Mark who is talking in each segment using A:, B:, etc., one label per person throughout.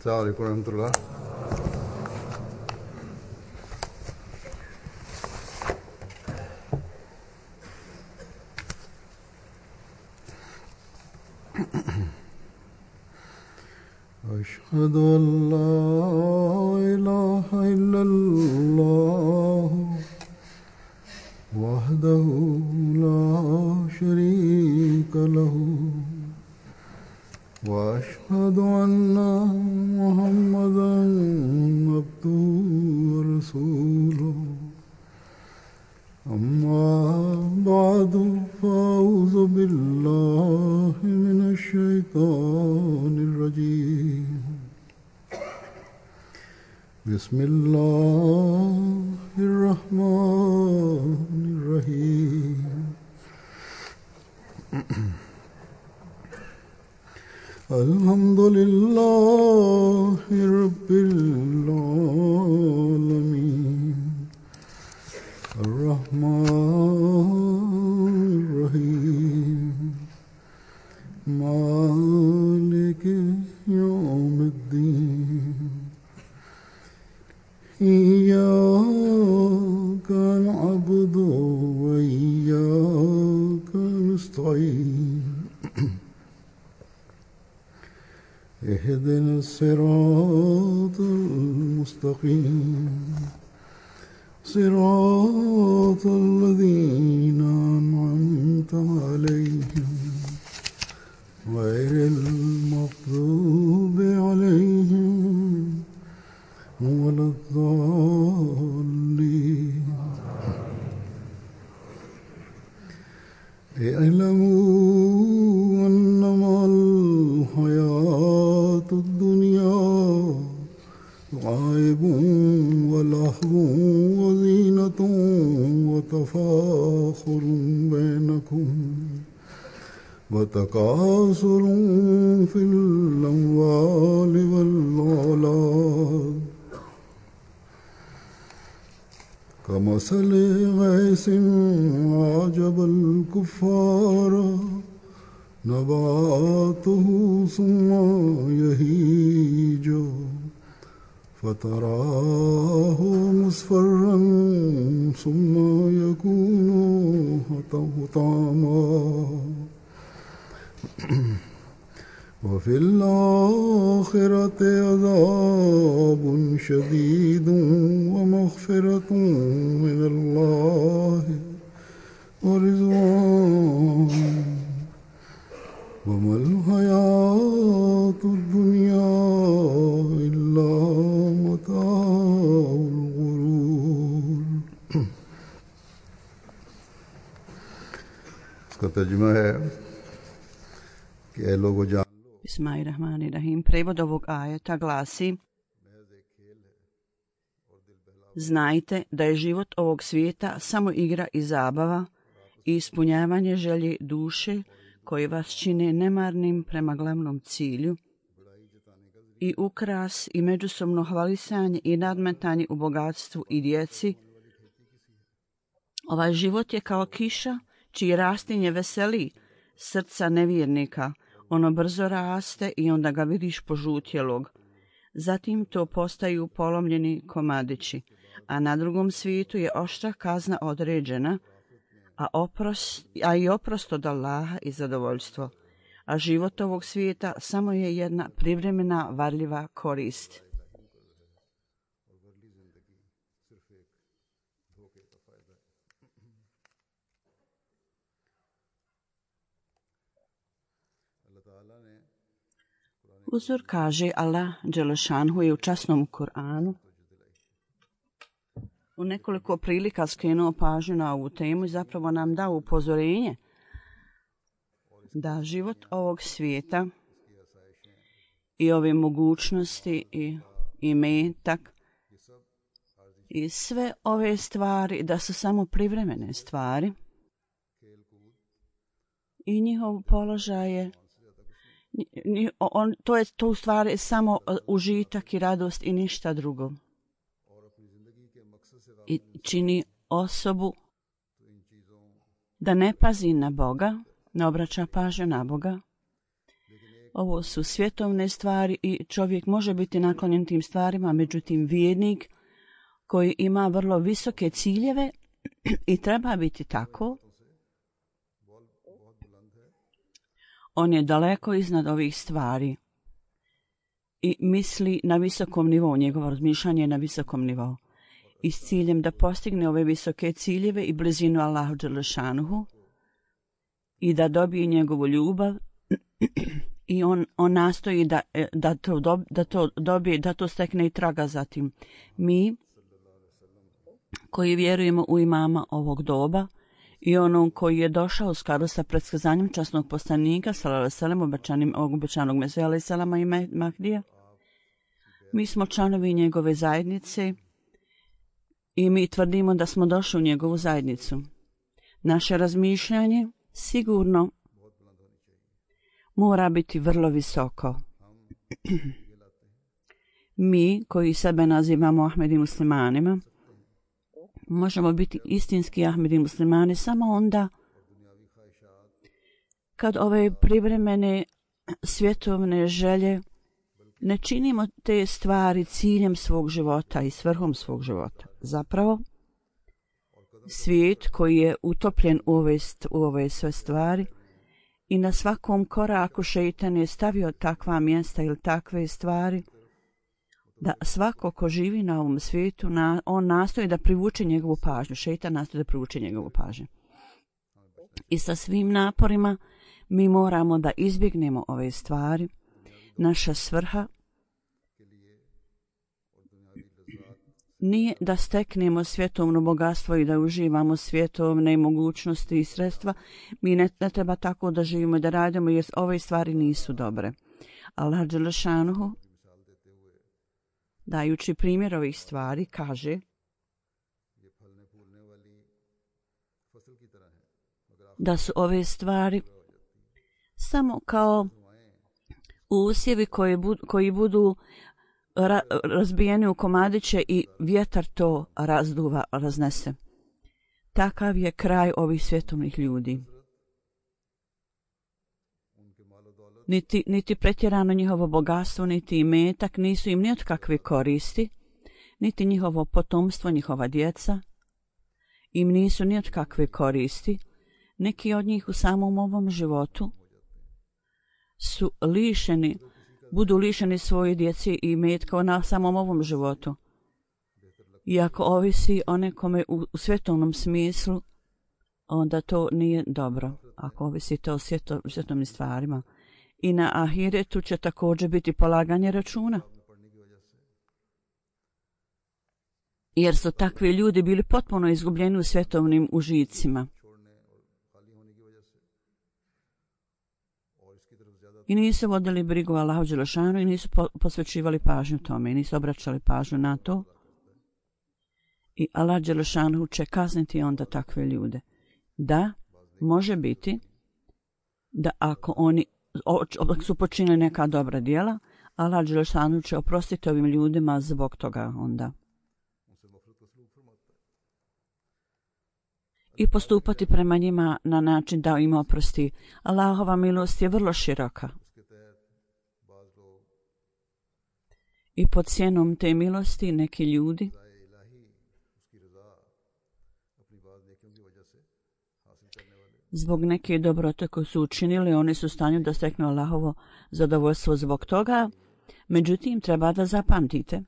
A: السلام عليكم ورحمة الله. أشهد أن لا إله إلا الله وحده لا شريك له وأشهد أن محمدا عبده ورسوله أما بعد فأعوذ بالله من الشيطان الرجيم بسم الله الرحمن الرحيم الحمد لله رب العالمين الرحمن الرحيم مالك يوم الدين إياك نعبد وإياك نستعين اهدنا الصراط المستقيم صراط الذين أنعمت عليهم غير المغضوب عليهم ولا الضالين اعلموا أنما الحياة الدنيا لعب ولهو وزينة وتفاخر بينكم وتكاثر في الأموال والأولاد كمثل غيث أعجب الكفار نباته ثم يهيج فتراه مصفرا ثم يكون حطاما وفي الآخرة عذاب شديد ومغفرة من الله ورضوان وما الحياة الدنيا إلا متاع الغرور. इसका तर्जुमा है कि ऐ लोगो जान
B: Bismillahirrahmanirrahim. Prevod ovog ajeta glasi: Znajte da je život ovog svijeta samo igra i zabava i ispunjavanje želje duše koji vas čine nemarnim prema glavnom cilju i ukras i međusobno hvalisanje i nadmetanje u bogatstvu i djeci. Ovaj život je kao kiša čiji rastinje veseli srca nevjernika. Ono brzo raste i onda ga vidiš požutjelog. Zatim to postaju polomljeni komadići, a na drugom svijetu je oštra kazna određena, a i oprost od Allaha i zadovoljstvo. A život ovog svijeta samo je jedna privremena varljiva korist. Uzor kaže Allah Đelešanhu je u časnom Kur'anu u nekoliko prilika skrenuo pažnju na ovu temu i zapravo nam dao upozorenje da život ovog svijeta i ove mogućnosti i metak i sve ove stvari da su samo privremene stvari i njihov položaj je to u stvari samo užitak i radost i ništa drugo. I čini osobu da ne pazi na Boga, ne obraća pažnju na Boga, Ovo su svjetovne stvari i čovjek može biti naklonjen tim stvarima, međutim vjernik koji ima vrlo visoke ciljeve i treba biti tako, on je daleko iznad ovih stvari i misli na visokom nivou, njegovo razmišljanje je na visokom nivou. I s ciljem da postigne ove visoke ciljeve i blizinu Allahu dželešanuhu i da dobije njegovu ljubav i on nastoji da to dobije, da to stekne i traga za tim. Mi koji vjerujemo u imama ovog doba i onom koji je došao u skladu sa predskazanjem časnog poslanika sallallahu alejhi ve sellem, obećanog Mesija alejhi selama i Mahdija, mi smo članovi njegove zajednice i mi tvrdimo da smo došli u njegovu zajednicu. Naše razmišljanje sigurno mora biti vrlo visoko. Mi koji sebe nazivamo Ahmedi muslimanima možemo biti istinski Ahmedi muslimani samo onda kad ove privremene svjetovne želje ne činimo te stvari ciljem svog života i svrhom svog života. Zapravo, svijet koji je utopljen u ove sve stvari i na svakom koraku šeitan je stavio takva mjesta ili takve stvari da svako ko živi na ovom svijetu, on nastoji da privuče njegovu pažnju. Šeitan nastoji da privuče njegovu pažnju. I sa svim naporima mi moramo da izbjegnemo ove stvari. Naša svrha nije da steknemo svjetovno bogatstvo i da uživamo svjetovne mogućnosti i sredstva. Mi ne treba tako da živimo i da radimo jer ove stvari nisu dobre. Allah dželešanuhu, dajući primjer ovih stvari, kaže da su ove stvari samo kao usjevi koji budu razbijeni u komadiće i vjetar to razduva, raznese. Takav je kraj ovih svjetovnih ljudi. Niti pretjerano njihovo bogatstvo, niti imetak nisu im ni od kakve koristi, niti njihovo potomstvo, njihova djeca im nisu ni od kakve koristi. Neki od njih u samom ovom životu su budu lišeni svoje djece i imetka na samom ovom životu. I ako ovisi o nekome u svjetovnom smislu, onda to nije dobro. Ako ovisite o svjetovnim stvarima. I na ahiretu će također biti polaganje računa. Jer su takvi ljudi bili potpuno izgubljeni u svjetovnim užicima. I nisu vodili brigu Allahu dželešanu i nisu posvećivali pažnju tome i nisu obraćali pažnju na to. I Allah dželešanu će kazniti onda takve ljude. Da, može biti da ako oni su počinili neka dobra djela, Allah dželešanu će oprostiti ovim ljudima zbog toga onda. I postupati prema njima na način da im oprosti. Allahova milost je vrlo široka. I pod sjenom te milosti neki ljudi zbog neke dobrote koje su učinili, oni su u stanju da steknu Allahovo zadovoljstvo zbog toga. Međutim, treba da zapamtite.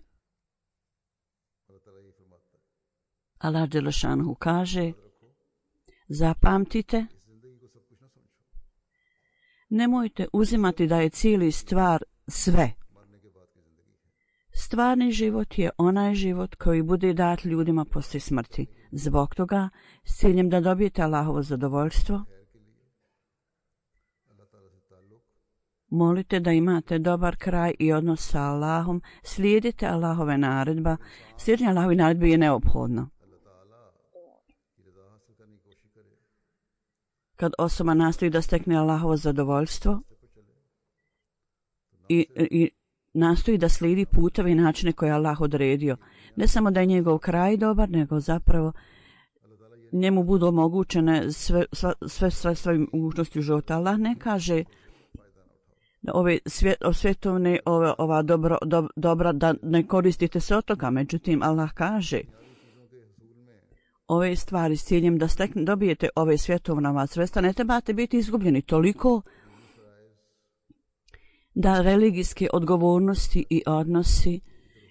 B: Allah dželešanu kaže, zapamtite, nemojte uzimati da je cijeli stvar sve. Stvarni život je onaj život koji bude dat ljudima poslije smrti. Zbog toga, s ciljem da dobijete Allahovo zadovoljstvo, molite da imate dobar kraj i odnos sa Allahom, slijedite Allahove naredba. Slijedjenje Allahove naredbe je neophodno. Kad osoba nastoji da stekne Allahovo zadovoljstvo i nastoji da slijedi puteve i načine koje je Allah odredio, ne samo da je njegov kraj dobar, nego zapravo njemu budu omogućene sve mogućnosti u životu. Allah ne kaže ove svjetovne ova dobra da ne koristite se od toga. Međutim, Allah kaže ove stvari s ciljem da dobijete ove svjetovna sredstva, ne trebate biti izgubljeni toliko da religijske odgovornosti i odnosi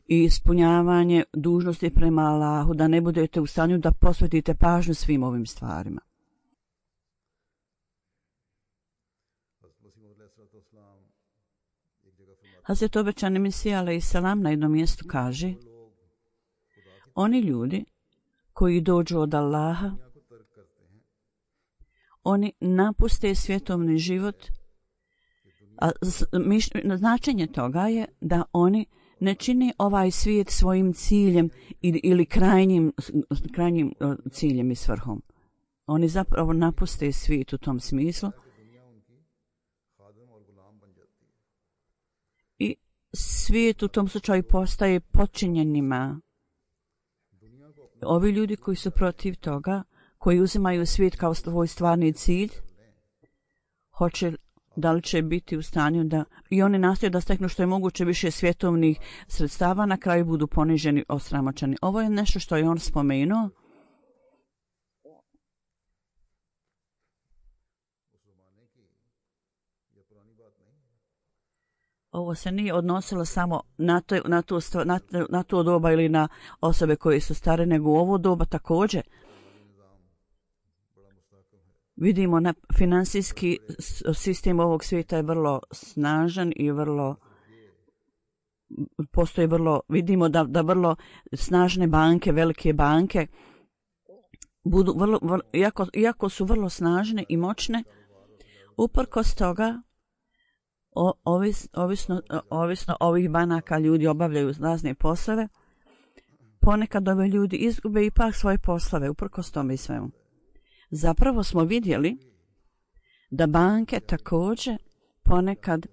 B: i ispunjavanje dužnosti prema Allahu, da ne budete u stanju da posvetite pažnju svim ovim stvarima. Hazret obećani Mesija alejselam na jednom mjestu kaže: oni ljudi koji dođu od Allaha, oni napuste svjetovni život, a značenje toga je da oni ne čine ovaj svijet svojim ciljem ili krajnjim ciljem i svrhom. Oni zapravo napuste svijet u tom smislu i svijet u tom slučaju postaje podčinjenima. Ovi ljudi koji su protiv toga, koji uzimaju svijet kao svoj stvarni cilj, da li će biti u stanju da i oni nastoje da steknu što je moguće više svjetovnih sredstava, na kraju budu poniženi, osramoćeni. Ovo je nešto što je on spomenuo. Ovo se nije odnosilo samo na to doba ili na osobe koje su stare, nego u ovo doba također. Vidimo na finansijski sistem ovog svijeta je vrlo snažan i vidimo da vrlo snažne banke, velike banke budu iako su vrlo snažne i moćne, uprkos toga ovisno ovih banaka ljudi obavljaju razne poslove. Ponekad ove ljudi izgube ipak svoje poslove, uprkos tome i svemu. Zapravo smo vidjeli da banke također ponekad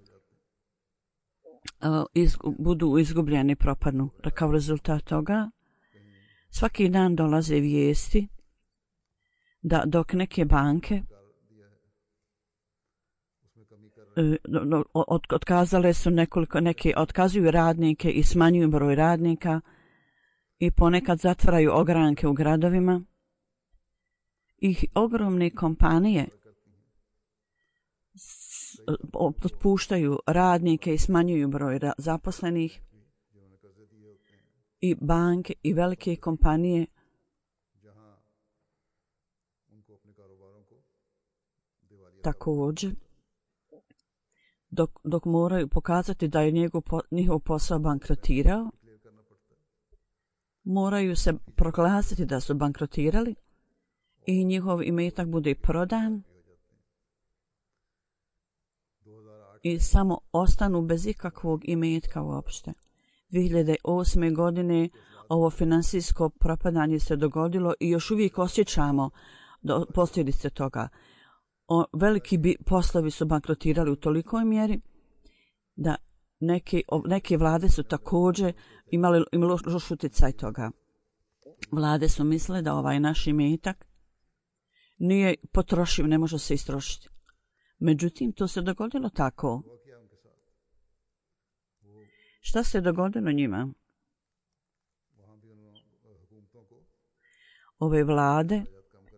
B: budu izgubljeni, propadnu. Kao rezultat toga svaki dan dolaze vijesti da dok neke banke otkazale su neke otkazuju radnike i smanjuju broj radnika i ponekad zatvaraju ogranke u gradovima. I ogromne kompanije otpuštaju radnike i smanjuju broj zaposlenih i banke i velike kompanije također dok moraju pokazati da je njihov posao bankrotirao, moraju se proglasiti da su bankrotirali i njihov imetak bude prodan i samo ostanu bez ikakvog imetka uopšte. 2008. godine ovo finansijsko propadanje se dogodilo i još uvijek osjećamo posljedice toga. Veliki poslovi su bankrotirali u tolikoj mjeri da neke vlade su također imali loš utjecaj toga. Vlade su mislile da ovaj naš imetak nije potrošiv, ne može se istrošiti. Međutim, to se dogodilo tako. Šta se dogodilo njima? Ove vlade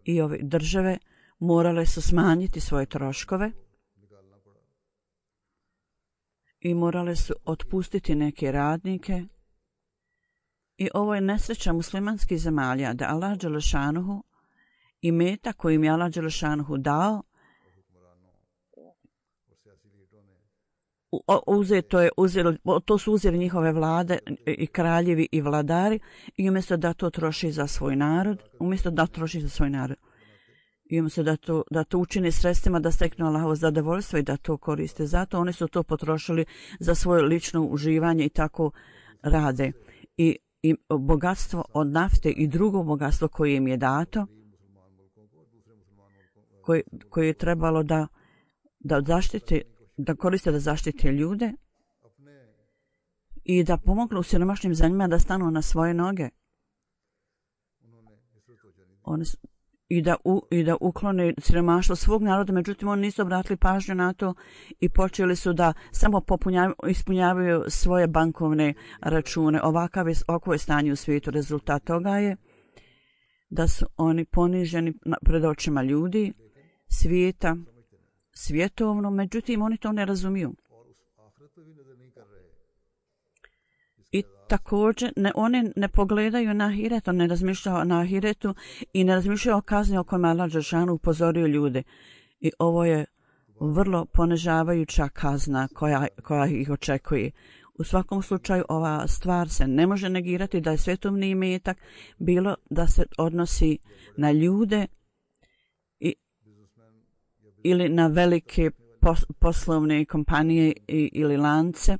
B: i ove države morale su smanjiti svoje troškove i morale su otpustiti neke radnike. I ovo je nesreća muslimanskih zemalja da Allah dželešanuhu imetak koji im je Allah dželešanuhu dao to su uzeli njihove vlade i kraljevi i vladari i umjesto da to troši za svoj narod, i umjesto da to učine sredstvima da steknu Allahovo zadovoljstvo i da to koriste. Zato oni su to potrošili za svoje lično uživanje i tako rade. I bogatstvo od nafte i drugo bogatstvo koje im je dato, koje je trebalo da koriste da zaštite ljude i da pomognu siromašnim zemljama da stanu na svoje noge. i da uklone siromaštvo svog naroda, međutim oni nisu obratili pažnju na to i počeli su da samo ispunjavaju svoje bankovne račune. Ovako je stanje u svijetu. Rezultat toga je da su oni poniženi pred očima ljudi, svijeta, svjetovno, međutim oni to ne razumiju. I također oni ne pogledaju na ahiret, on ne razmišljaju na ahiretu i ne razmišljaju o kazni o kojima Allah dželešanu upozorio ljude. I ovo je vrlo ponižavajuća kazna koja ih očekuje. U svakom slučaju ova stvar se ne može negirati da je svetovni imetak, bilo da se odnosi na ljude ili na velike poslovne kompanije ili lance,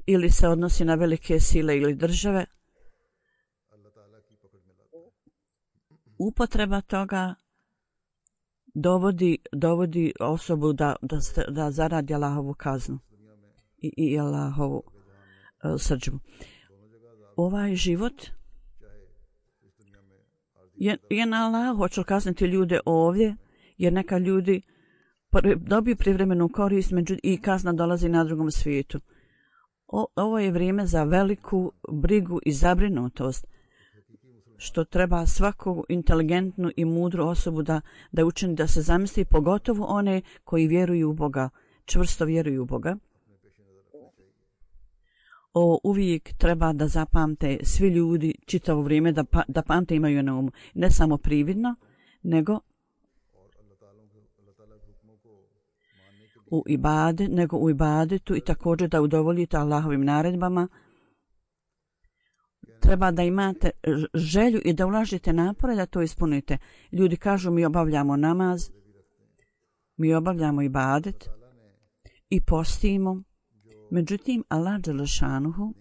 B: ili se odnosi na velike sile ili države. Upotreba toga dovodi osobu da zaradi Allahovu kaznu i Allahovu srdžbu. Ovaj život je na Allahu. Hoće kazniti ljude ovdje, jer neka ljudi dobiju privremenu korist i kazna dolazi na drugom svijetu. Ovo je vrijeme za veliku brigu i zabrinutost, što treba svaku inteligentnu i mudru osobu da učini da se zamisli, pogotovo one koji vjeruju u Boga, čvrsto vjeruju u Boga. Ovo uvijek treba da zapamte svi ljudi čitavo vrijeme, da pamte imaju na umu. Ne samo prividno, nego u ibadetu i također da udovoljite Allahovim naredbama. Treba da imate želju i da ulažete napore da to ispunite. Ljudi kažu mi obavljamo namaz, mi obavljamo ibadet i postimo. Međutim, Allah dželešanuhu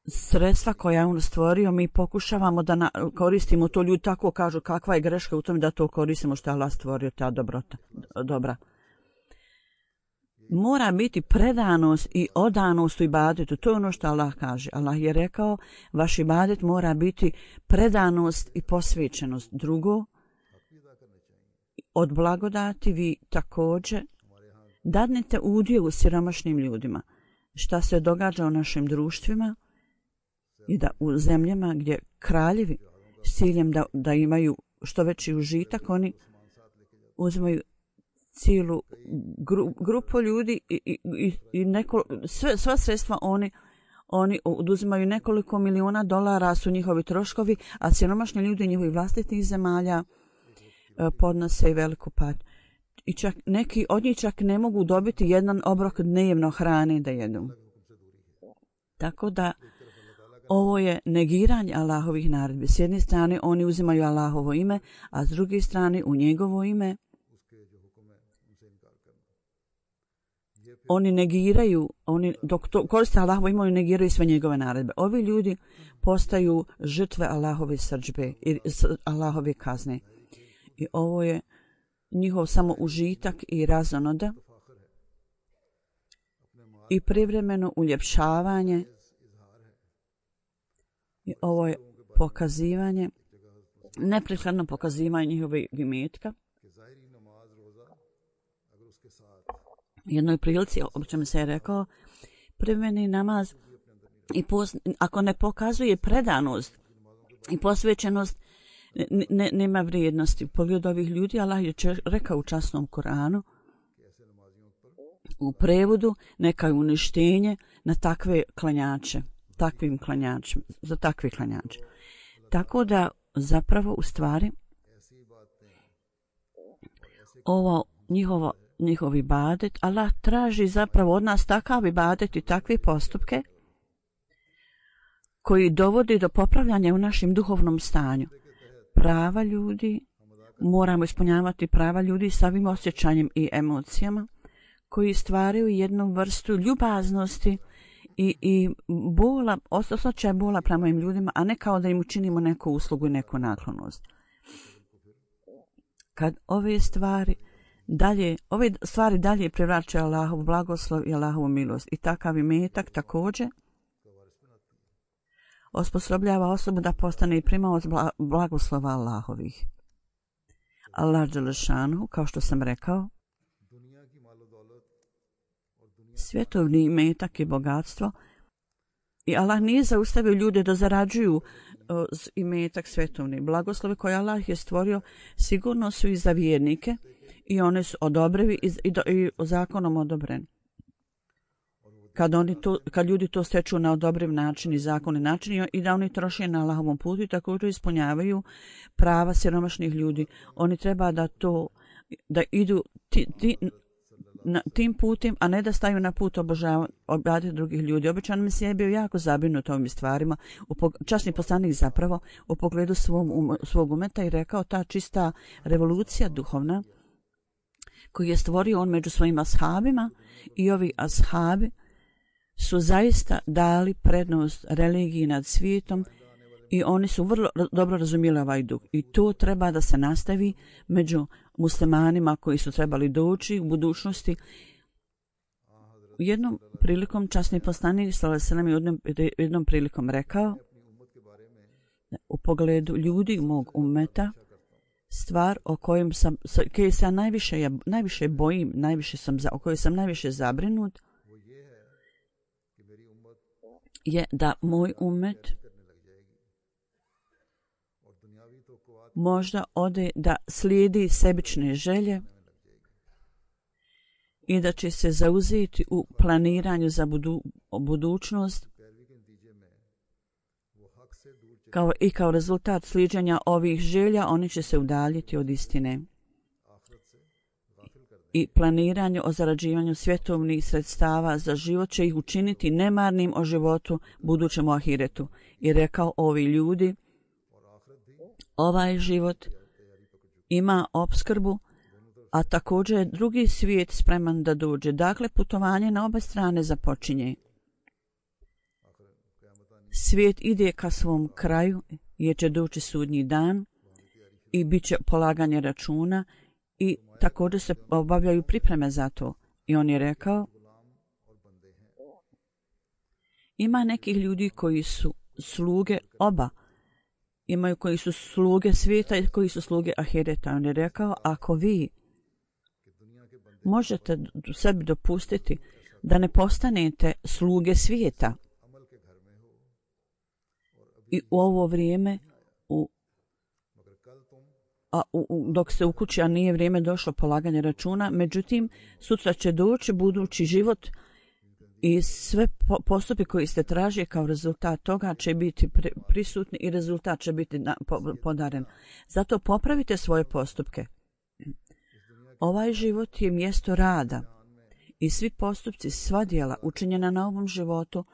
B: sredstva koja on stvorio, mi pokušavamo da koristimo to. Ljudi tako kažu kakva je greška u tome da to koristimo što je Allah stvorio, ta dobra. Mora biti predanost i odanost u ibadetu. To je ono što Allah kaže. Allah je rekao, vaš ibadet mora biti predanost i posvećenost. Drugo, od blagodati vi također dadnete udio u siromašnim ljudima. Šta se događa u našim društvima i da u zemljama gdje kraljevi s ciljem da imaju što veći užitak, oni uzimaju cijelu grupu ljudi i sva sredstva oni oduzimaju nekoliko miliona dolara su njihovi troškovi, a siromašni ljudi njihovih vlastitih zemalja podnose i veliku patnju. I čak neki od njih čak ne mogu dobiti jedan obrok dnevno hrane da jedu. Tako da ovo je negiranje Allahovih naredbi. S jedne strane oni uzimaju Allahovo ime, a s druge strane u njegovo ime oni negiraju, dok to koriste Allahovo ime, oni negiraju sve njegove naredbe. Ovi ljudi postaju žrtve Allahove srdžbe i Allahove kazne. I ovo je njihov samo užitak i razonoda i privremeno uljepšavanje. I ovo je pokazivanje, neprekladno pokazivanje njihovog imetka. Jednoj prilici, obično se je rekao, privremeni namaz i ako ne pokazuje predanost i posvećenost, nema vrijednosti. U pogledu ovih ljudi Allah je rekao u časnom Koranu, u prevodu, neka je uništenje na takve klanjače, za takve klanjače. Tako da zapravo u stvari ovo njihov ibadet, Allah traži zapravo od nas takav ibadet i takve postupke koji dovodi do popravljanja u našem duhovnom stanju. Prava ljudi, moramo ispunjavati prava ljudi sa ovim osjećanjem i emocijama koji stvaraju jednu vrstu ljubaznosti i bola, osjećaj bola prema im ljudima, a ne kao da im učinimo neku uslugu i neku naklonost. Kad ove stvari dalje privraćaju Allahovu blagoslov i Allahovu milost i takav imetak također osposobljava osobu da postane i primaoc blagoslova Allahovih. Allah dželešanu, kao što sam rekao, svjetovni imetak i bogatstvo, i Allah nije zaustavio ljude da zarađuju imetak svjetovni. Blagoslove koje Allah je stvorio sigurno su i za vjernike i one su odobrivi i zakonom odobreni. Kad ljudi to steču na odobriv način i zakonni način i da oni troše na Allahovom putu i također ispunjavaju prava siromašnih ljudi, oni treba da idu tim putem, a ne da staju na put obavljati drugih ljudi. Običan Mesija je bio jako zabrinut ovim stvarima, časni poslanik zapravo u pogledu svog umeta i rekao ta čista revolucija duhovna koju je stvorio on među svojim ashabima, i ovi ashabi su zaista dali prednost religiji nad svijetom i oni su vrlo dobro razumjeli ovaj duh. I to treba da se nastavi među muslimanima koji su trebali doći u budućnosti. Jednom prilikom časni poslanik sallallahu je jednom prilikom rekao u pogledu ljudi mog ummeta, stvar o kojoj se najviše bojim, o kojoj sam najviše zabrinut, je da moj ummet možda ode da slijedi sebične želje i da će se zauzeti u planiranju za budućnost kao rezultat sliđenja ovih želja oni će se udaljiti od istine. I planiranje o zarađivanju svjetovnih sredstava za život će ih učiniti nemarnim o životu budućem u ahiretu. I rekao, ovi ljudi, ovaj život ima opskrbu, a također je drugi svijet spreman da dođe. Dakle, putovanje na oba strane započinje. Svijet ide ka svom kraju, jer će doći sudnji dan i bit će polaganje računa i također se obavljaju pripreme za to. I on je rekao, ima nekih ljudi koji su sluge oba. Imaju koji su sluge svijeta i koji su sluge ahireta. On je rekao, ako vi možete sebi dopustiti da ne postanete sluge svijeta i u ovo vrijeme dok ste u kući, a nije vrijeme došlo polaganje računa, međutim sutra će doći budući život i sve postupke koji ste tražili kao rezultat toga će biti prisutni i rezultat će biti podaren. Zato popravite svoje postupke. Ovaj život je mjesto rada i svi postupci, sva djela učinjena na ovom životu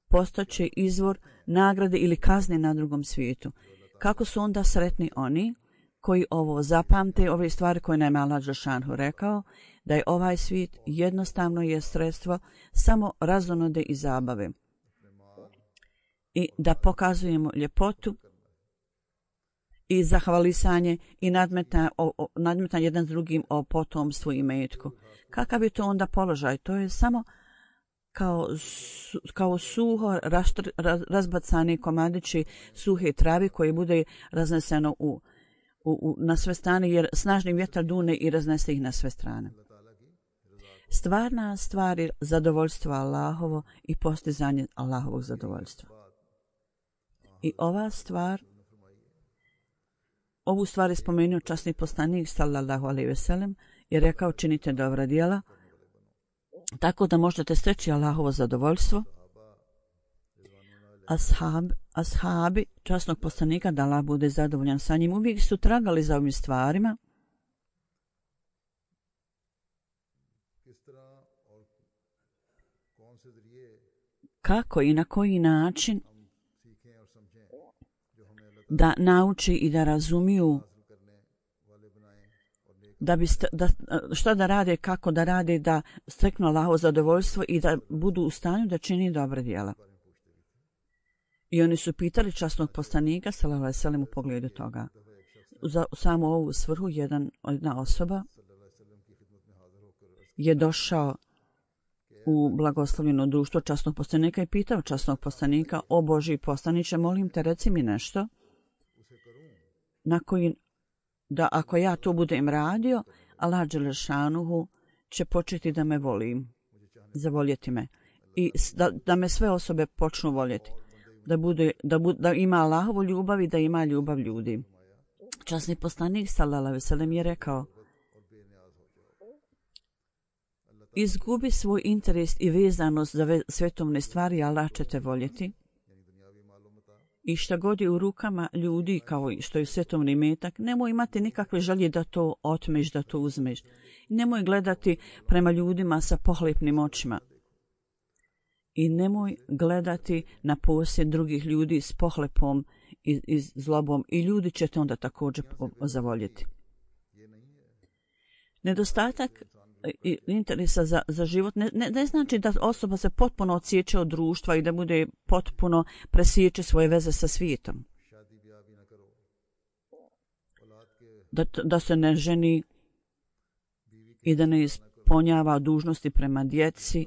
B: postaće izvor nagrade ili kazne na drugom svijetu. Kako su onda sretni oni koji ovo zapamte, ove stvari koje nam je Allah dželešanu rekao, da je ovaj svijet jednostavno je sredstvo samo razonode i zabave. I da pokazujemo ljepotu i zahvalisanje i nadmetanje jedan s drugim o potomstvu i metku. Kakav je to onda položaj? To je samo kao suho razbacani komadići suhe travi koje bude razneseno na sve strane, jer snažni vjetar dune i raznese ih na sve strane. Stvarna stvar je zadovoljstvo Allahovo i postizanje Allahovog zadovoljstva. I ovu stvar je spomenuo časni poslanik sallallahu alejhi ve sellem i rekao, činite dobra djela tako da možete steći Allahovo zadovoljstvo. Ashabi časnog poslanika, da Allah bude zadovoljan sa njim, uvijek su tragali za ovim stvarima. Kako i na koji način da nauči i da razumiju šta da rade, kako da rade, da steknu Allahovo zadovoljstvo i da budu u stanju da čini dobra djela. I oni su pitali časnog poslanika sallallahu alejhi ve sellem u pogledu toga. Za samo ovu svrhu jedna osoba je došao u blagoslovljeno društvo časnog poslanika i pitao časnog poslanika: o Božji poslaniče, molim te, reci mi nešto na koji, da ako ja to budem radio, Allah dželešanuhu će početi da me voli, zavoljeti me i da me sve osobe počnu voljeti, da ima Allahovu ljubav i da ima ljubav ljudi. Časni poslanik sallallahu alejhi ve sellem je rekao: izgubi svoj interes i vezanost za svetovne stvari, Allah će te voljeti. I šta god je u rukama ljudi, kao što je svetovni imetak, nemoj imati nikakve želje da to otmeš, da to uzmeš. Nemoj gledati prema ljudima sa pohlepnim očima. I nemoj gledati na posjed drugih ljudi s pohlepom i zlobom, i ljudi će te onda također zavoljeti. Nedostatak interesa za život ne znači da osoba se potpuno odsjeće od društva i da bude potpuno presjeće svoje veze sa svijetom. Da se ne ženi i da ne ispunjava dužnosti prema djeci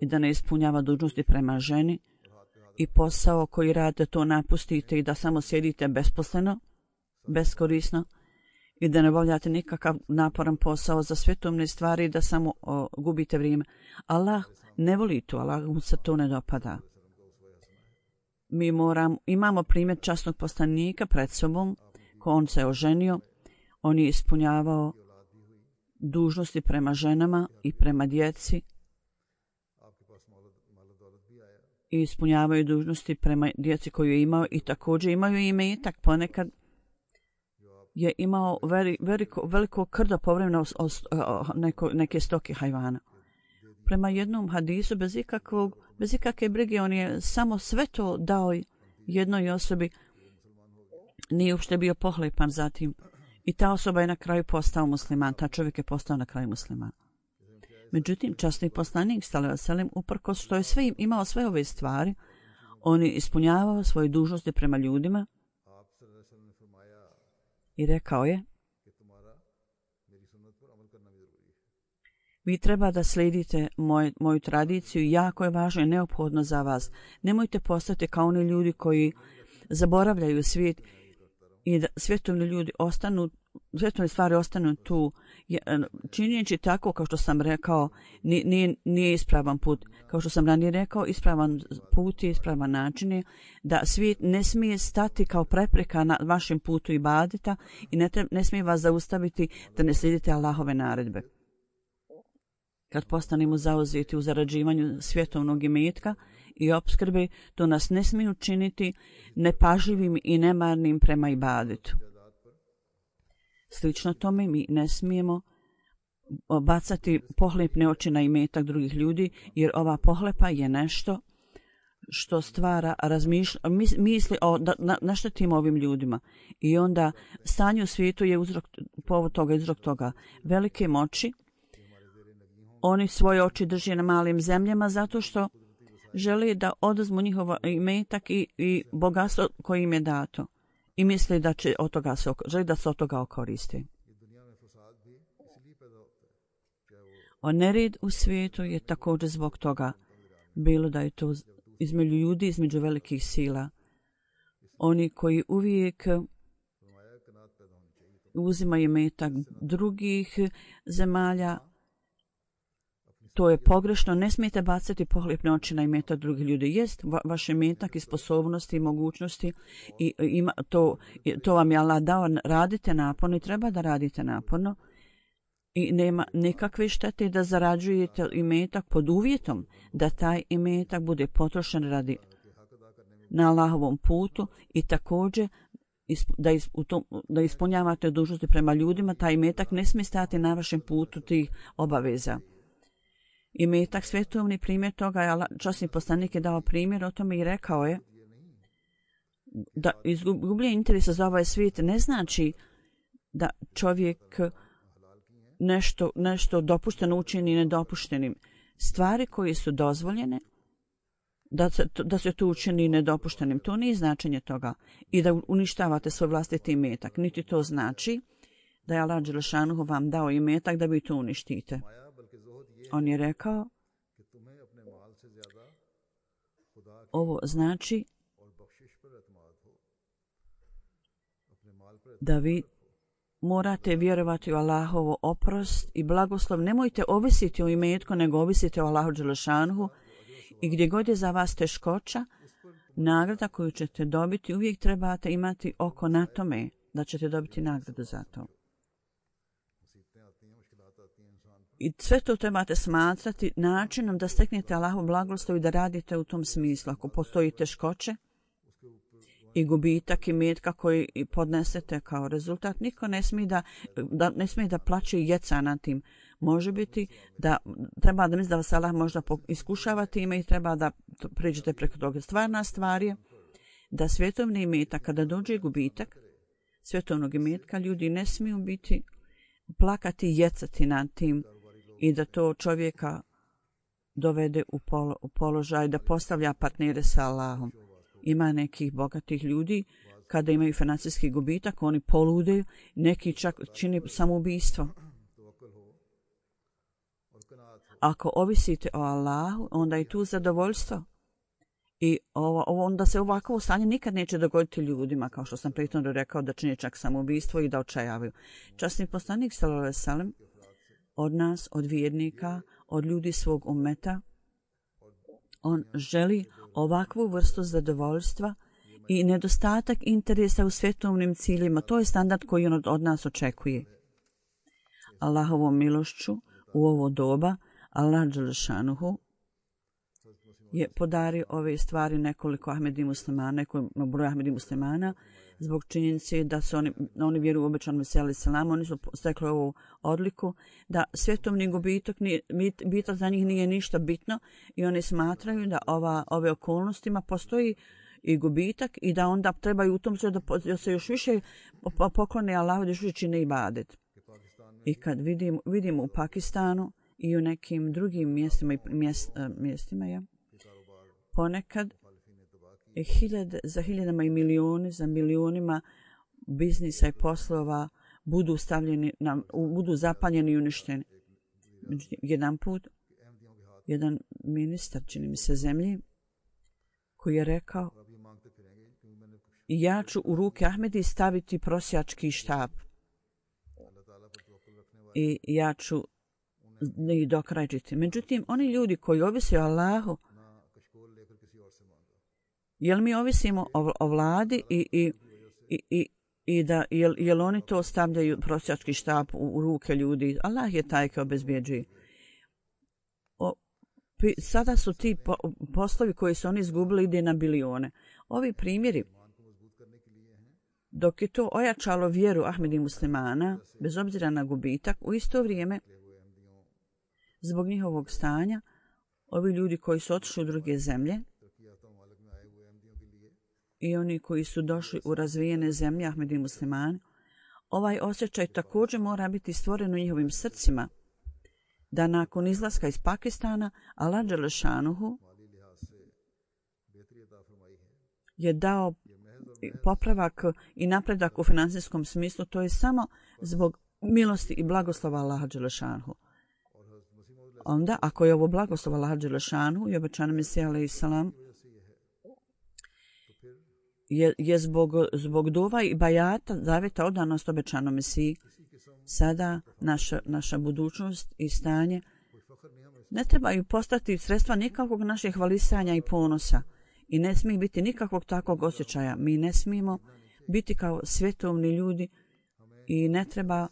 B: i da ne ispunjava dužnosti prema ženi i posao koji radite to napustite i da samo sjedite besposleno, beskorisno i da ne obavljate nikakav naporan posao za svetovne stvari i da samo gubite vrijeme. Allah ne voli to, Allah mu se to ne dopada. Mi imamo primjer časnog poslanika pred sobom, ko on se oženio, on je ispunjavao dužnosti prema ženama i prema djeci i ispunjavaju dužnosti prema djeci koju je imao i također imaju imetak. Ponekad je imao veliko krdo povremeno neke stoke hajvana. Prema jednom hadisu, bez ikakve brige, on je samo sve to dao jednoj osobi, nije uopšte bio pohlepan zatim. I ta osoba je na kraju postao musliman, ta čovjek je postao na kraju musliman. Međutim, časni poslanik sallallahu alejhi ve sellem, uprkos što je imao sve ove stvari, on je ispunjavao svoje dužnosti prema ljudima i rekao je: vi treba da slijedite moju tradiciju, jako je važno i neophodno za vas. Nemojte postati kao oni ljudi koji zaboravljaju svijet i da svjetovni ljudi svjetovne stvari ostanu tu. Činjeći tako, kao što sam rekao, nije ispravan put. Kao što sam ranije rekao, ispravan put je ispravan način da svijet ne smije stati kao prepreka na vašem putu ibadeta i ne smije vas zaustaviti da ne slijedite Allahove naredbe. Kad postanemo zauzeti u zarađivanju svjetovnog imetka i opskrbe, to nas ne smije učiniti nepažljivim i nemarnim prema ibadetu. Slično tome, mi ne smijemo bacati pohlepne oči na imetak drugih ljudi, jer ova pohlepa je nešto što stvara misli naštetimo ovim ljudima. I onda stanje u svijetu je povod toga. Velike moći, oni svoje oči drže na malim zemljama zato što žele da oduzmu njihov imetak i bogatstvo koje im je dato. I misle da će želi da se od toga okoriste. Nered u svijetu je također zbog toga, bilo da je to između ljudi, između velikih sila. Oni koji uvijek uzimaju imetak drugih zemalja, to je pogrešno. Ne smijete bacati pohlepne oči na imetak drugih ljudi. Jest vaš imetak i sposobnosti i mogućnosti i to vam je Allah dao. Radite naporno i treba da radite naporno i nema nikakve štete da zarađujete imetak pod uvjetom da taj imetak bude potrošen na Allahovom putu i također da ispunjavate dužnosti prema ljudima. Taj imetak ne smije stati na vašem putu tih obaveza. Imetak svetovni primjer toga je časni poslanik je dao primjer o tome i rekao je da izgubljenje interesa za ovaj svijet ne znači da čovjek nešto dopušteno učini nedopuštenim. Stvari koje su dozvoljene, da se to učini nedopuštenim, to nije značenje toga. I da uništavate svoj vlastiti imetak. Niti to znači da je Allah dželešanuhu vam dao imetak da vi to uništite. On je rekao Ovo znači da vi morate vjerovati u Allahovo oprost i blagoslov. Nemojte ovisiti o imetku, nego ovisite o Allahu dželešanuhu i gdje god je za vas teškoća, nagrada koju ćete dobiti, uvijek trebate imati oko na tome da ćete dobiti nagradu za to. I sve to trebate smatrati načinom da steknete Allahov blagoslov i da radite u tom smislu. Ako postoji teškoće i gubitak imetka koji podnesete kao rezultat, niko ne smije da plaće i jeca na tim. Može biti da treba da misli da vas Allah možda iskušava time i treba da priđete preko toga. Stvarna stvar je da svjetovni imetak, kada dođe gubitak svjetovnog imetka, ljudi ne smiju biti plakati i jecati nad tim i da to čovjeka dovede u položaj da postavlja partnere sa Allahom. Ima nekih bogatih ljudi, kada imaju financijski gubitak, oni poludeju, neki čak čini samoubistvo. Ako ovisite o Allahu, onda je tu zadovoljstvo. I onda se ovako stanje nikad neće dogoditi ljudima, kao što sam prethodno rekao, da čini čak samoubistvo i da očajavaju. Časni poslanik sallallahu alejhi ve sellem od nas, od vjernika, od ljudi svog ummeta, on želi ovakvu vrstu zadovoljstva i nedostatak interesa u svjetovnim ciljima. To je standard koji on od nas očekuje. Allahovom milošću u ovo doba Allah dželešanuhu je podario ove stvari nekoliko Ahmedi muslimana, nekoliko broj Ahmedi muslimana, zbog činjenice da su oni vjeruju u obećanom Mesiju alejhi selam, oni su stekli ovu odliku da svjetovni gubitak za njih nije ništa bitno i oni smatraju da ove okolnostima postoji i gubitak i da onda trebaju u tom da se još više poklone Allahu, da još više čine ibadet. I kad vidimo u Pakistanu i u nekim drugim mjestima ponekad za hiljadama i za milionima biznisa i poslova budu zapaljeni i uništeni. Jedan put, jedan ministar, čini mi se, zemlji, koji je rekao: ja ću u ruke Ahmedi staviti prosjački štap i ja ću i dokrajčiti. Međutim, oni ljudi koji ovise o Allahu, jel mi ovisimo o vladi i da jel oni to stavljaju prosjački štap u ruke ljudi? Allah je taj koji obezbjeđuje. Sada su ti poslovi koji su oni izgubili ide na bilione. Ovi primjeri, dok je to ojačalo vjeru Ahmedi muslimana, bez obzira na gubitak, u isto vrijeme, zbog njihovog stanja, ovi ljudi koji su otišli u druge zemlje i oni koji su došli u razvijene zemlje, Ahmedi muslimani, ovaj osjećaj također mora biti stvoren u njihovim srcima, da nakon izlaska iz Pakistana Allah dželešanuhu je dao popravak i napredak u financijskom smislu. To je samo zbog milosti i blagoslova Allaha dželešanuhu. Onda, ako je ovo blagoslov Allaha dželešanuhu i obećanom Mesija alejhi selam je zbog dova i bajata, zavjeta, odanost obećanom Mesiji, sada naša budućnost i stanje ne trebaju postati sredstva nikakvog našeg hvalisanja i ponosa i ne smije biti nikakvog takvog osjećaja. Mi ne smijemo biti kao svjetovni ljudi i ne treba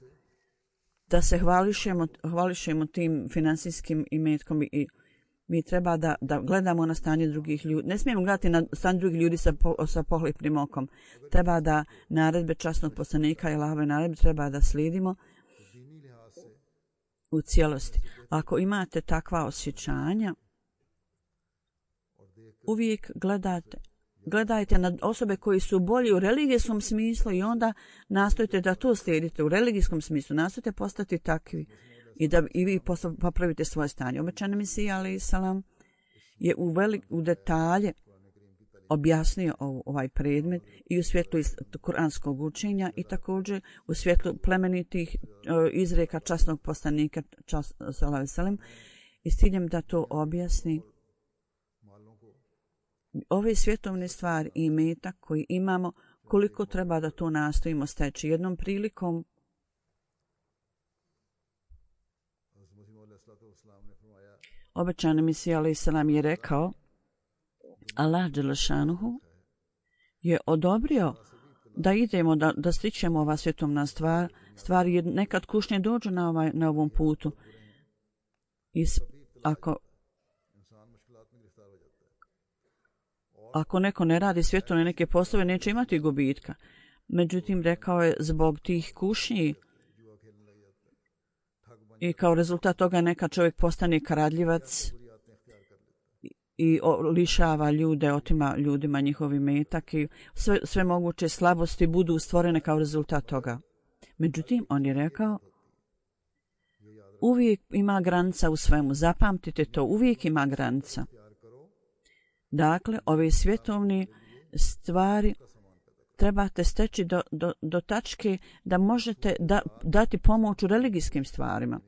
B: da se hvališemo tim financijskim imetkom i mi treba da gledamo na stanje drugih ljudi. Ne smijemo gledati na stanje drugih ljudi sa pohlepnim okom. Treba da naredbe časnog poslanika i Allahove naredbe treba da slijedimo u cijelosti. Ako imate takva osjećanja, uvijek gledajte na osobe koji su bolji u religijskom smislu i onda nastojite da to slijedite u religijskom smislu. Nastojite postati takvi i da i vi popravite svoje stanje. Obećani Mesija alejhi selam je u detalje objasnio ovaj predmet i u svjetlu kuranskog učenja i također u svjetlu plemenitih izreka časnog poslanika sallallahu alejhi ve sellem i s ciljem da to objasni ove svjetovne stvari i imetak koji imamo, koliko treba da to nastojimo steći. Jednom prilikom obećani Mesija alejhi selam je rekao, Allah dželešanuhu je odobrio da idemo, da stičemo ova svjetovna stvari, jer nekad kušnje dođu na ovom putu. Ako neko ne radi svjetovne neke poslove, neće imati gubitka. Međutim, rekao je, zbog tih kušnji i kao rezultat toga neka čovjek postane kradljivac i lišava ljude, otima ljudima njihov imetak i sve moguće slabosti budu stvorene kao rezultat toga. Međutim, on je rekao, uvijek ima granica u svemu. Zapamtite to, uvijek ima granica. Dakle, ove svjetovne stvari trebate steći do tačke da možete dati pomoć u religijskim stvarima.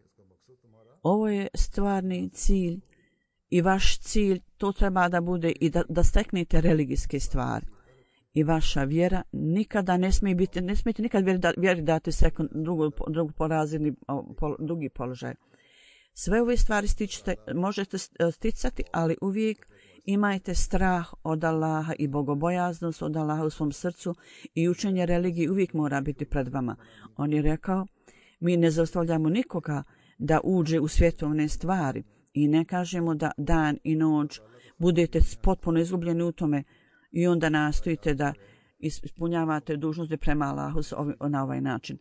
B: Ovo je stvarni cilj i vaš cilj, to treba da bude i da steknete religijske stvari. I vjera nikada ne smijete nikad vjeri dati drugi položaj. Sve ove stvari možete sticati, ali uvijek imajte strah od Allaha i bogobojaznost od Allaha u svom srcu i učenje religije uvijek mora biti pred vama. On je rekao, mi ne zaustavljamo nikoga da uđe u svjetovne stvari i ne kažemo da dan i noć budete potpuno izgubljeni u tome i onda nastojite da ispunjavate dužnosti prema Allahu na ovaj način.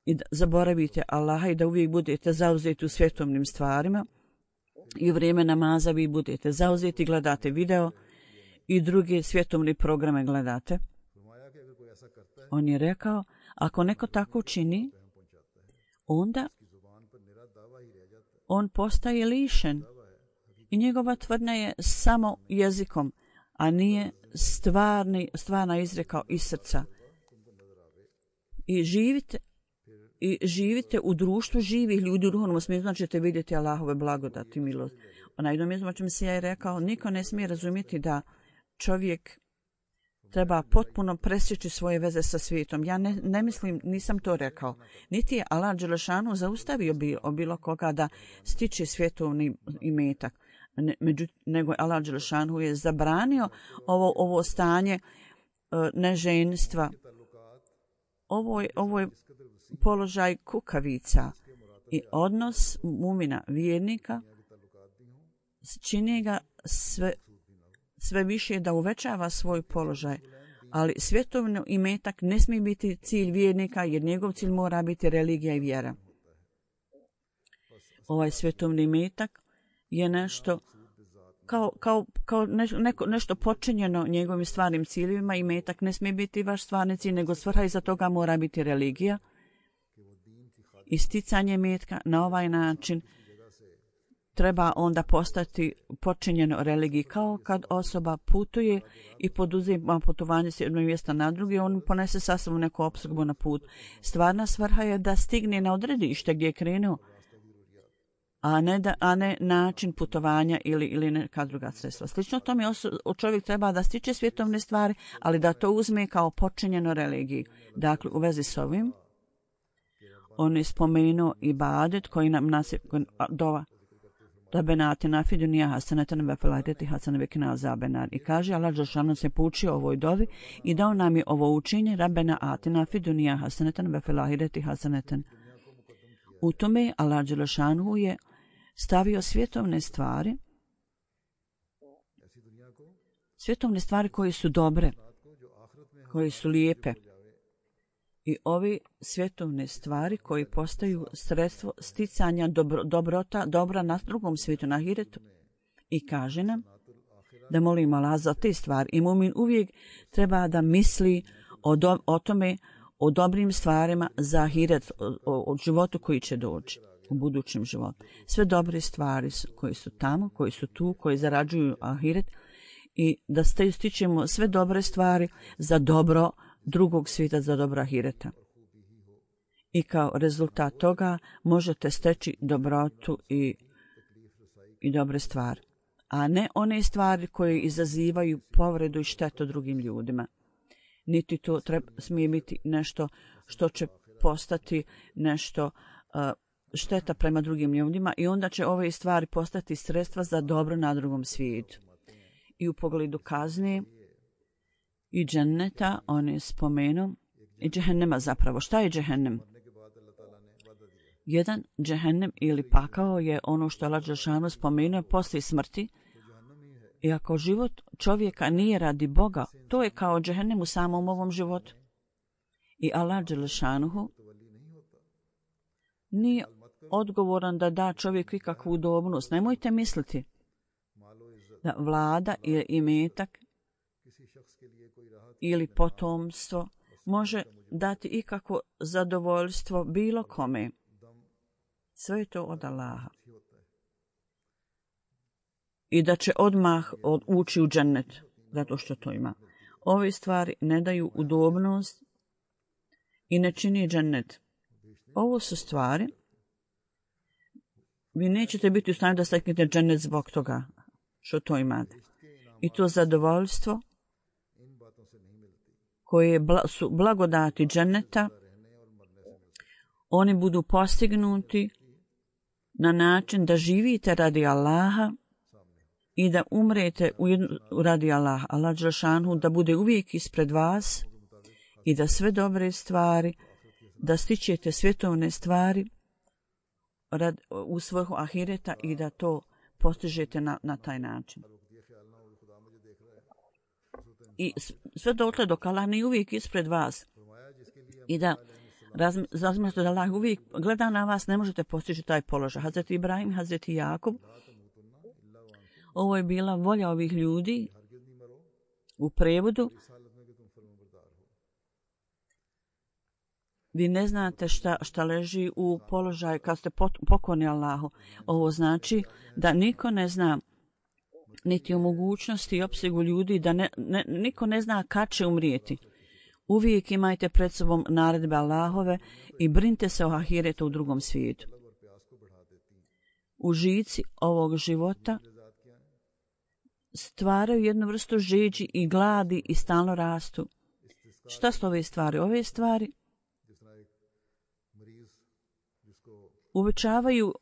B: I da zaboravite Allaha i da uvijek budete zauzeti u svjetovnim stvarima i u vrijeme namaza vi budete zauzeti, gledate video i druge svjetovne programe gledate. On je rekao, ako neko tako čini, onda on postaje lišen i njegova tvrdnja je samo jezikom, a nije stvarna izreka iz srca. I živite u društvu živih ljudi u duhovnom smislu, znači ćete vidjeti Allahove blagodati i milost. Na jednom mjestu se ja je rekao, niko ne smije razumjeti da čovjek treba potpuno presjeći svoje veze sa svijetom. Ja ne mislim, nisam to rekao. Niti je Allah dželešanu zaustavio bilo koga da stiče svjetovni imetak. Nego je Allah dželešanu je zabranio ovo stanje neženstva. Ovo je položaj kukavica i odnos mumina vjernika čini ga sve više da uvećava svoj položaj, ali svjetovni imetak ne smije biti cilj vjernika jer njegov cilj mora biti religija i vjera. Ovaj svjetovni imetak je nešto kao nešto počinjeno njegovim stvarnim ciljevima. Imetak ne smije biti vaš stvarni cilj, nego svrha iza toga mora biti religija. Isticanje imetka na ovaj način treba onda postati počinjeno religiji. Kao kad osoba putuje i poduzima putovanje s jednog mjesta na drugi, on ponese sa sobom neku opskrbu na put. Stvarna svrha je da stigne na odredište gdje je krenuo, a ne način putovanja ili neka druga sredstva. Slično tome čovjek treba da stiče svjetovne stvari, ali da to uzme kao počinjeno religiji. Dakle, u vezi s ovim, on je spomenuo ibadet koji nam dova. Rabbena atina fid dunja hasanatan wa fil ahireti hasanatan wa qina azaban. I kaže Allah dželešanu se poučio ovoj dovi i dao nam je ovo učenje Rabbena atina fid dunja hasanatan wa fil ahireti hasanatan. U tome Allah dželešanu je stavio svjetovne stvari koje su dobre, koje su lijepe. I ove svjetovne stvari koje postaju sredstvo sticanja dobra na drugom svijetu, na ahiretu. I kaže nam da molimo Allah za te stvari. I mumin uvijek treba da misli o tome, o dobrim stvarima za ahiret, o životu koji će doći u budućem životu. Sve dobre stvari koje su tamo, koji su tu, koji zarađuju ahiret i da stičemo sve dobre stvari za dobro drugog svijeta, za dobro ahireta. I kao rezultat toga možete steći dobrotu i dobre stvari. a ne one stvari koje izazivaju povredu i štetu drugim ljudima. Niti to smije biti nešto što će postati nešto šteta prema drugim ljudima i onda će ove stvari postati sredstva za dobro na drugom svijetu. I u pogledu kazne i dženneta on je spomenuo i džehennema zapravo. Šta je džehennem? Jedan džehennem ili pakao je ono što je Allah dželešanu spomenuo poslije smrti. I ako život čovjeka nije radi Boga, to je kao džehennem u samom ovom životu. I Allah dželešanu nije odgovoran da da čovjeku ikakvu udobnost. Nemojte misliti da vlada ili imetak ili potomstvo može dati ikakvo zadovoljstvo bilo kome. Sve je to od Allaha. I da će odmah ući u džennet, zato što to ima. Ove stvari ne daju udobnost i ne čini džennet. Ovo su stvari, vi nećete biti u stanju da steknete džennet zbog toga što to imate. I to zadovoljstvo koje su blagodati dženneta, oni budu postignuti na način da živite radi Allaha i da umrete radi Allaha. Allah dželešanu da bude uvijek ispred vas i da sve dobre stvari, da stičete svjetovne stvari u svrhu ahireta i da to postižete na taj način. I sve dotle dok Allah nije uvijek ispred vas i da razmišljate da Allah uvijek gleda na vas, ne možete postići taj položaj. Hazreti Ibrahim, Hazreti Jakub, ovo je bila volja ovih ljudi u prevodu. Vi ne znate šta leži u položaju kad ste pokorni Allahu. Ovo znači da niko ne zna niti o mogućnosti i opsegu ljudi, da niko ne zna kad će umrijeti. Uvijek imajte pred sobom naredbe Allahove i brinite se o ahiretu u drugom svijetu. Užici ovog života stvaraju jednu vrstu žeđi i gladi i stalno rastu. Šta su ove stvari? Ove stvari uvećavaju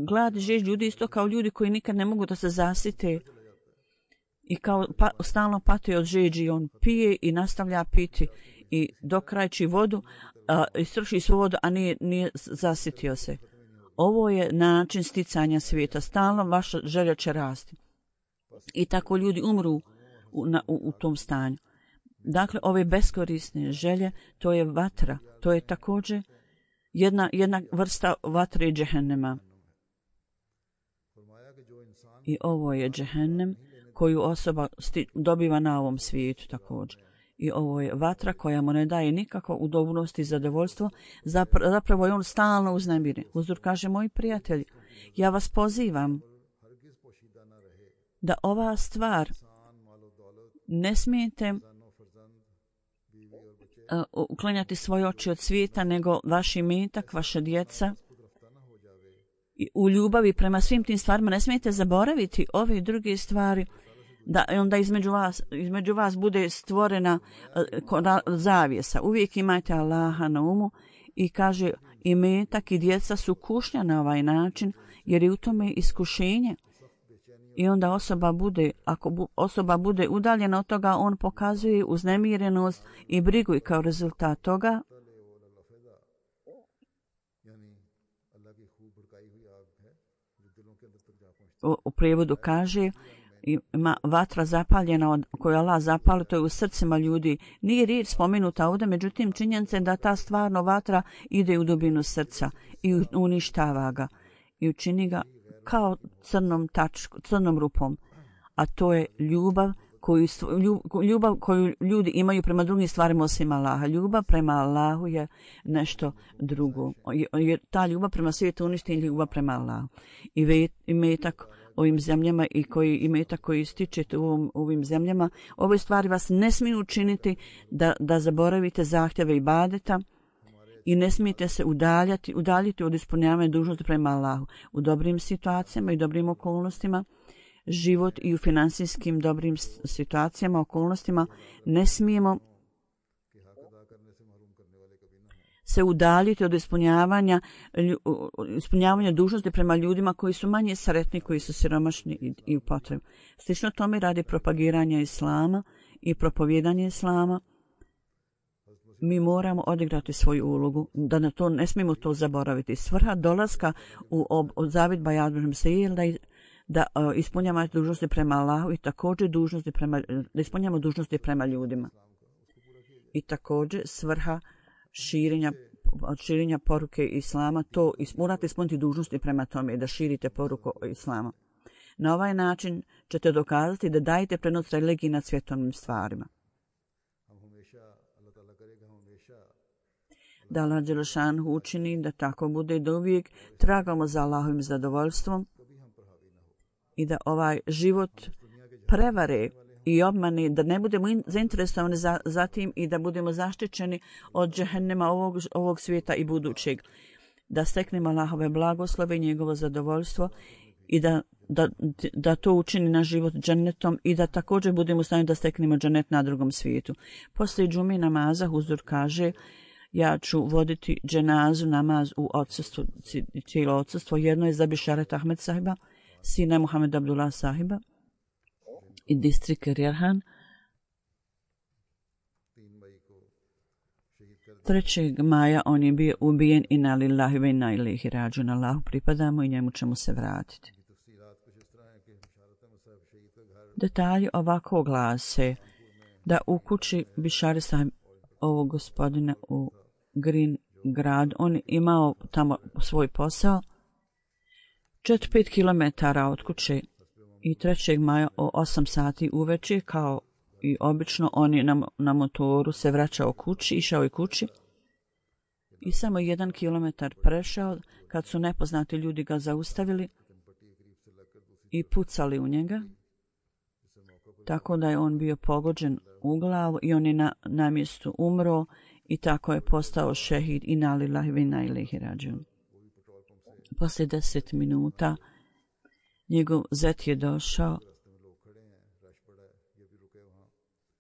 B: glad i žeđ ljudi isto kao ljudi koji nikad ne mogu da se zasite i kao stalno pati od žeđi. On pije i nastavlja piti i dokrajči vodu, istroši svu vodu, a nije zasitio se. Ovo je način sticanja svijeta. Stalno vaša želja će rasti. I tako ljudi umru u tom stanju. Dakle, ove beskorisne želje, to je vatra. To je također jedna vrsta vatre i džehennema. I ovo je džehennem koju osoba dobiva na ovom svijetu također. I ovo je vatra koja mu ne daje nikakvo udobnost i zadovoljstvo. Zapravo je on stalno uznemiren. Huzur kaže, moji prijatelji, ja vas pozivam da ova stvar ne smijete uklanjati svoje oči od svijeta, nego vaš imetak, vaša djeca. I u ljubavi prema svim tim stvarima ne smijete zaboraviti ove druge stvari, da onda između vas bude stvorena zavjesa. Uvijek imajte Allaha na umu i kaže, imetak i djeca su kušnja na ovaj način, jer je u tome iskušenje. I onda ako osoba bude udaljena od toga, on pokazuje uznemirenost i brigu i kao rezultat toga u prijevodu kaže, ima vatra zapaljena koju Allah zapali, to je u srcima ljudi. Nije riječ spomenuta ovdje, međutim činjenica je da ta stvarno vatra ide u dubinu srca i uništava ga i učini ga kao crnom rupom. A to je ljubav koju ljudi imaju prema drugim stvarima osim Allaha. Ljubav prema Allahu je nešto drugo. Ta ljubav prema svijetu uništi ljubav prema Allahu. I imetak ovim zemljama i imetak koji stičete u ovim zemljama, ove stvari vas ne smiju učiniti da zaboravite zahtjeve ibadeta i ne smijete se udaljiti od ispunjavanja dužnosti prema Allahu. U dobrim situacijama i dobrim okolnostima život i u financijskim dobrim situacijama, okolnostima, ne smijemo se udaljiti od ispunjavanja dužnosti prema ljudima koji su manje sretni, koji su siromašni i u potrebi. Slično tome radi propagiranja islama i propovijedanje islama. Mi moramo odigrati svoju ulogu, da na to ne smijemo to zaboraviti. Svrha dolaska u Zavid Bajat je da ispunjavamo dužnosti prema Allahu i također da ispunjavamo dužnosti prema ljudima. I također svrha širenja poruke islama, to morate ispuniti dužnosti prema tome da širite poruku islama. Na ovaj način ćete dokazati da dajete prednost religiji nad svjetovnim stvarima. Da Allah Đelešanhu učini da tako bude i da uvijek tragamo za Allahovim zadovoljstvom i da ovaj život prevare i obmane, da ne budemo zainteresovani za tim i da budemo zaštićeni od džehennema ovog svijeta i budućeg. Da steknemo Allahove blagoslove i njegovo zadovoljstvo i da to učini naš život džennetom i da također budemo u stanju da steknemo džennet na drugom svijetu. Poslije džumi namaza Huzur kaže: ja ću voditi dženazu namaz u odsustvu, cijelo odsustvo. Jedno je za Bišaret Ahmed sahiba, sina Muhammed Abdullah sahiba i distrik Rjerhan. 3. maja on je bio ubijen i na lillahi ve inna ilaihi rađun. Allahu pripadamo i njemu ćemo se vratiti. Detalji ovako glase da u kući Bišari sahib ovog gospodina u Green grad, on imao tamo svoj posao 4-5 km od kuće i 3. maja o 8 sati uveče, kao i obično, on je na motoru se vraćao kući, išao je kući i samo 1 kilometar prešao kad su nepoznati ljudi ga zaustavili i pucali u njega, tako da je on bio pogođen u glavu i on je na mjestu umro i tako je postao šehid i na lillahi ve inna ilaihi rađun. Poslije 10 minuta njegov zet je došao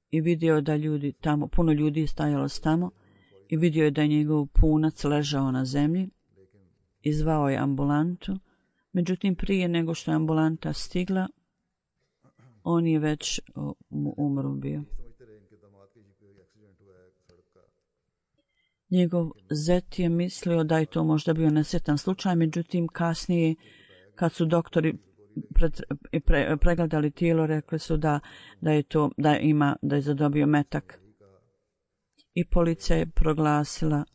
B: i vidio da ljudi tamo, puno ljudi je stajalo tamo i vidio je da je njegov punac ležao na zemlji i zvao je ambulantu. Međutim, prije nego što je ambulanta stigla, on je već umro bio. Njegov zet je mislio da je to možda bio nesretan slučaj, međutim kasnije kad su doktori pregledali tijelo, rekli su da je zadobio metak. I policija je proglasila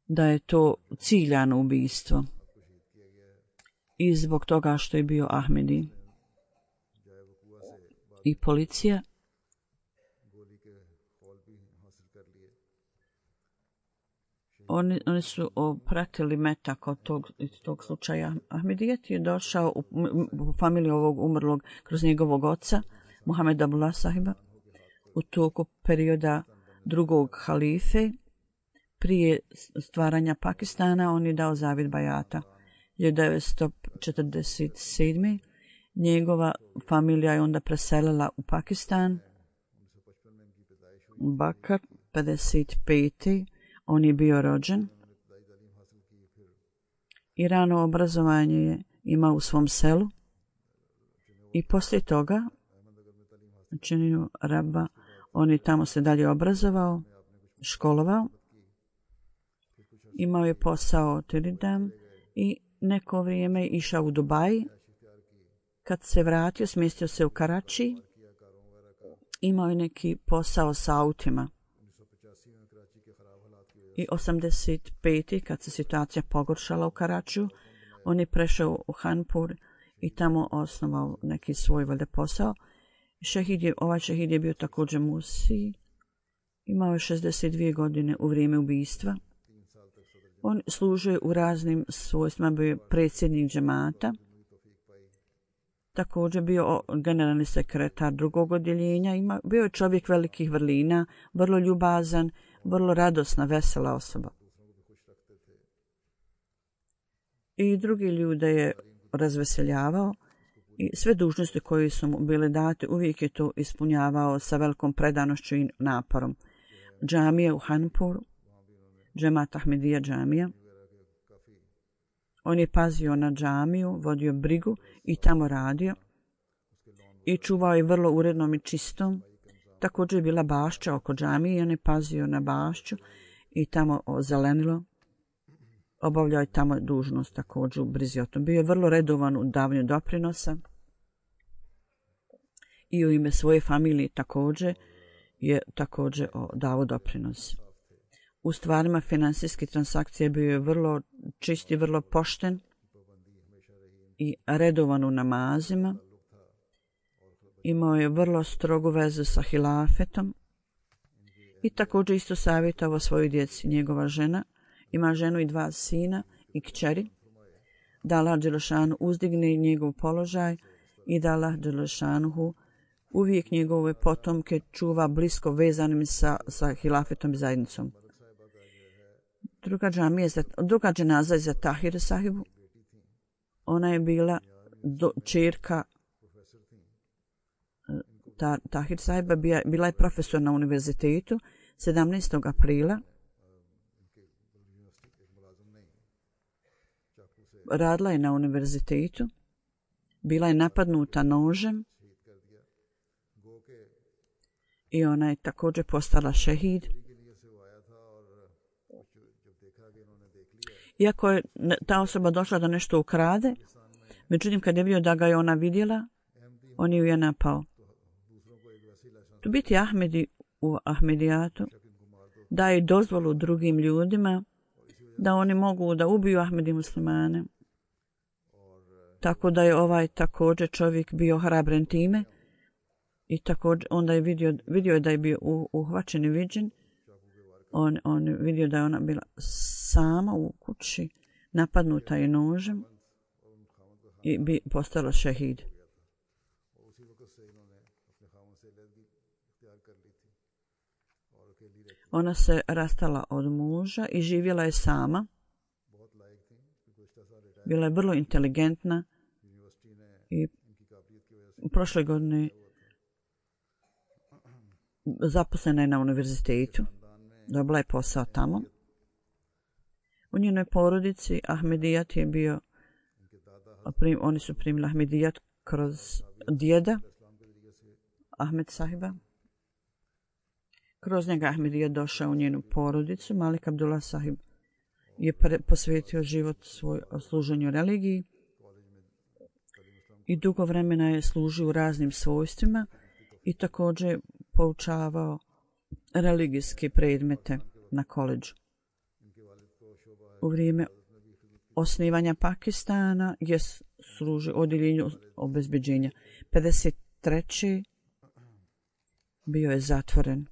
B: da je to ciljano ubistvo i zbog toga što je bio Ahmedi. I policija Oni su pratili metak od tog slučaja. Ahmedijet je došao u familiju ovog umrlog kroz njegovog oca, Muhammed Abdullah sahiba, u toku perioda drugog halife. Prije stvaranja Pakistana on je dao zavid bajata. 1947. njegova familija je onda preselila u Pakistan. Bakar, 55. on je bio rođen i rano obrazovanje je imao u svom selu i poslije toga činjenju Rabba on je tamo se dalje obrazovao, školovao, imao je posao Tiridam i neko vrijeme je išao u Dubai. Kad se vratio, smjestio se u Karači, imao je neki posao sa autima. I 85. kad se situacija pogoršala u Karačiju, on je prešao u Hanpur i tamo osnovao neki svoj valjda posao. Ovaj šehid je bio također Musi, imao je 62 godine u vrijeme ubistva. On služio u raznim svojstvima, bio je predsjednik džemata, također bio generalni sekretar drugog odjeljenja, bio je čovjek velikih vrlina, vrlo ljubazan, vrlo radosna, vesela osoba. I drugi ljude je razveseljavao i sve dužnosti koje su mu bile date uvijek je to ispunjavao sa velikom predanošću i naporom. Džamija u Hanpuru, Džemat Ahmedija džamija. On je pazio na džamiju, vodio brigu i tamo radio i čuvao je vrlo urednom i čistom. Također je bila bašća oko džamije i on je pazio na bašću i tamo ozelenilo. Obavljao je tamo dužnost također u brizi o tom. Bio je vrlo redovan u davanju doprinosa i u ime svoje familije također je također dao doprinos. U stvarima finansijskih transakcija bio je vrlo čist i vrlo pošten i redovan u namazima. Imao je vrlo strogu vezu sa hilafetom i također isto savjetovao svoju djeci. Njegova žena ima ženu i 2 sina i kćeri. Da Allah dželešanu uzdigne njegov položaj i da Allah dželešanu uvijek njegove potomke čuva blisko vezanim sa hilafetom i zajednicom. Druga dženaza je za Tahir sahibu. Ona je bila ćerka Tahir sahiba, bila je profesor na univerzitetu 17. aprila. Radila je na univerzitetu, bila je napadnuta nožem i ona je također postala šehid. Iako je ta osoba došla da nešto ukrade, međutim kad je vidio da ga je ona vidjela, on ju je napao. Tu biti Ahmedi u Ahmedijatu daje dozvolu drugim ljudima da oni mogu da ubiju Ahmedi muslimane. Tako da je ovaj također čovjek bio hrabren time i također onda je vidio je da je bio uhvaćen i viđen. On vidio da je ona bila sama u kući, napadnuta je nožem i bi postala šehid. Ona se rastala od muža i živjela je sama. Bila je vrlo inteligentna i prošle godine zaposlena je na univerzitetu. Dobila je posao tamo. U njenoj porodici Ahmedijat je bio, oni su primili Ahmedijat kroz djeda Ahmed sahiba. Kroz njega Ahmedijat došao u njenu porodicu. Malik Abdullah sahib je posvetio život svoj služenju religiji i dugo vremena je služio u raznim svojstvima i također poučavao religijske predmete na koledžu. U vrijeme osnivanja Pakistana je služio odjeljenju obezbeđenja. 53. bio je zatvoren.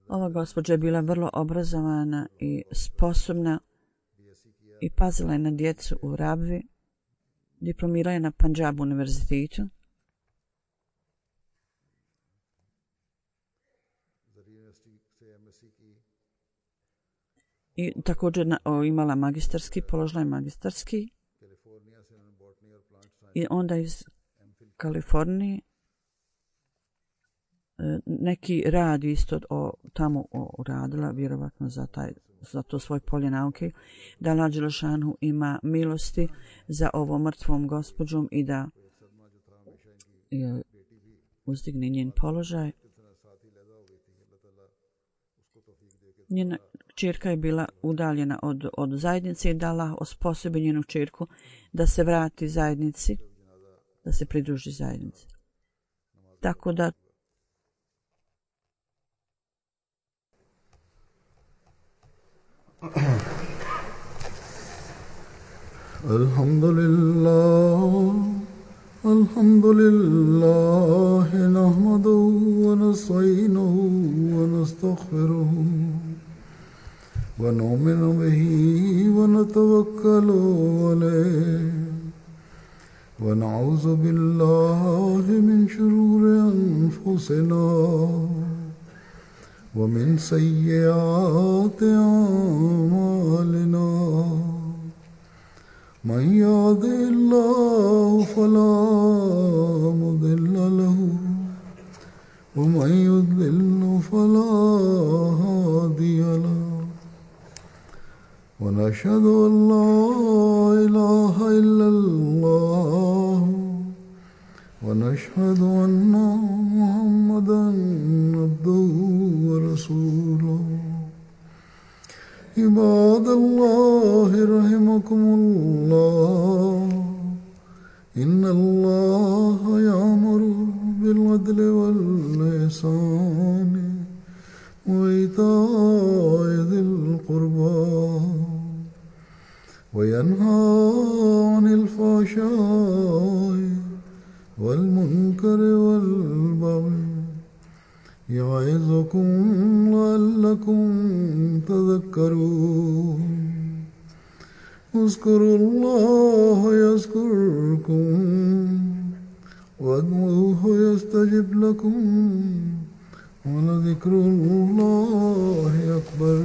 B: Ova gospođa je bila vrlo obrazovana i sposobna i pazila je na djecu u Rabvi. Diplomirala je na Punjab univerzitetu. I također imala magistarski, položila je magistarski. I onda iz Kalifornije neki rad isto tamo radila, vjerovatno za to svoje polje nauke, da Allah dželešanu ima milosti za ovom mrtvom gospođom i da uzdigne njen položaj. Njena kćerka je bila udaljena od zajednice i da Allah osposobi njenu kćerku da se vrati zajednici, da se pridruži zajednici. Tako da
A: Alhamdulillah nahmaduhu wa nasta'inuhu wa nastaghfiruhu wa nu'minu bihi wa natawakkalu alayhi wa na'udhu billahi min shururi anfusina ومن سيئات أعمالنا من يهده الله فلا مضل له ومن يضلل فلا هادي له ونشهد أن لا إله إلا الله ونشهد أن محمدا عبده ورسوله عباد الله رحمكم الله إن الله يأمر بالعدل والإحسان وإيتاء ذي القربى وينهى عن الفحشاء والمنكر والبغي يعظكم لعلكم تذكرون اذكروا الله يذكركم وادعوه يستجب لكم ولذكر الله أكبر